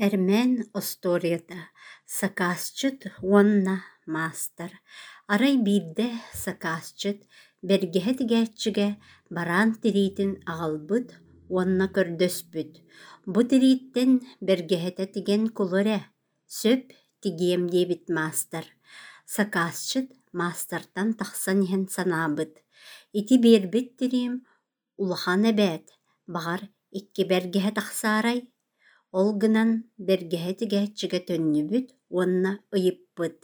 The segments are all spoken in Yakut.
Эрмээн остуоруйата «Сакаасчыт уонна маастар» Арай биирдэ сакаасчыт бэргэһэ тигээччигэ бараан тириитин аҕалбыт уонна көрдөспүт: «Бу тирииттэн бэргэһэтэ тигэн кулу эрэ, сөп, тигиэм» диэбит маастар. Сакаасчыт маастартан тахсан иһэн санаабыт: «Ити биэрбит тириим Улахан эбээт, баҕар, икки бэргэһэ тахсаарай?» Ол гынан бэргэһэ тигээччигэ төннүбүт уонна ыйыппыт: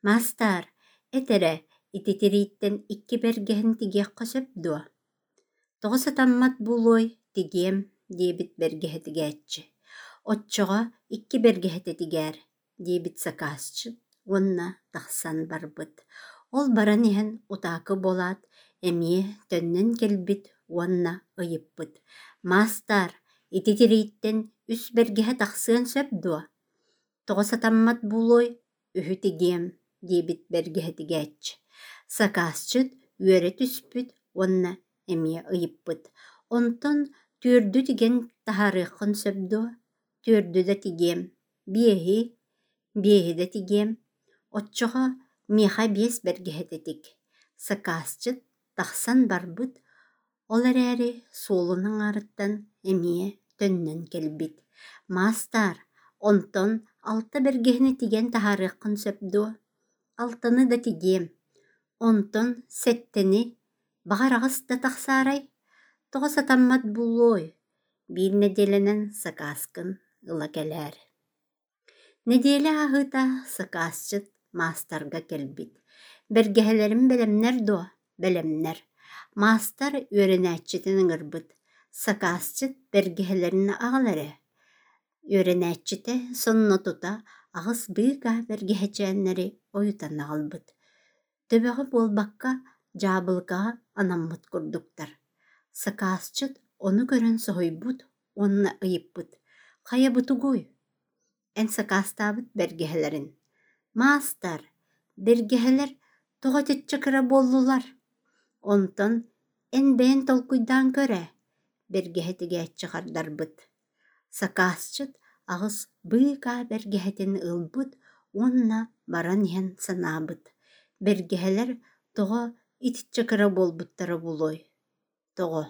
«Маастаар, эт эрэ, ити тирииттэн икки бэргэһэни тигиэххэ сөп дуо?» «Тоҕо сатаммат буолуой, тигиэм», диэбит бэргэһэ тигээччи. «Оччоҕо икки бэргэһэтэ тигээр» диэбит сакаасчыт уонна тахсан барбыт. Ол баран иһэн утаакы буолаат, эмиэ төннөн кэлбит уонна ыйыппыт: «Маастаар, ити тирииттэн үс бэргэһэ тахсыан сөп дуо? Тоҕо сатаммат буолуой, үһү тигиэм» диэбит бэргэһэ тигээччи. Сакаасчыт үөрэ түспүт уонна эмиэ ыйыппыт: «Онтон түөрдү тигэн таһаарыаххын сөп дуо? Түөрдү да тигиэм, биэһи, биэһи да тигиэм, оччоҕо миэхэ биэс бэргэһэтэ тик» Сакаасчыт тахсан барбыт, ол эрээри суолун аҥаарыттан эмиэ төннөн кэлбит: «Маастаар, онтон алта бэргэһэни тигэн таһаарыаххын сөп дуо? Алтаны да тигиэм, онтон сэттэни, баҕар аҕыс да тахсаарай? Тоҕо сатаммат буолуой, биир нэдиэлэнэн сакааскын ыла кэлээр» Нэдиэлэ ааһыыта сакаасчыт маастарга кэлбит: «Бэргэһэлэрим бэлэмнэр дуо?» «Бэлэмнэр». Маастар үөрэнээччитин ыҥырбыт: «Сакаасчыт бэргэһэлэрин аҕал эрэ». Үөрэнээччитэ сонно тута аҕыс быыкаа бэргэһэчээннэри ойутан аҕалбыт. Төбөҕө буолбакка, дьаабылыкаҕа анаммыт курдуктар. Сакаасчыт ону көрөн соһуйбут уонна ыйыппыт: «Хайа бу тугуй? Эн сакаастаабыт бэргэһэлэрин?» «Маастар, бэргэһэлэр тоҕо итиччэ кыра буоллулар? Онтон эн бэйэҥ толкуйдаан көр ээ», бэргэһэ тигээччи хардарбыт. Сакаасчыт аҕыс быыкаа бэргэһэтин ылбыт уонна баран иһэн санаабыт: «Бэргэһэлэр тоҕо итиччэ кыра буолбуттара буолуой, тоҕо?»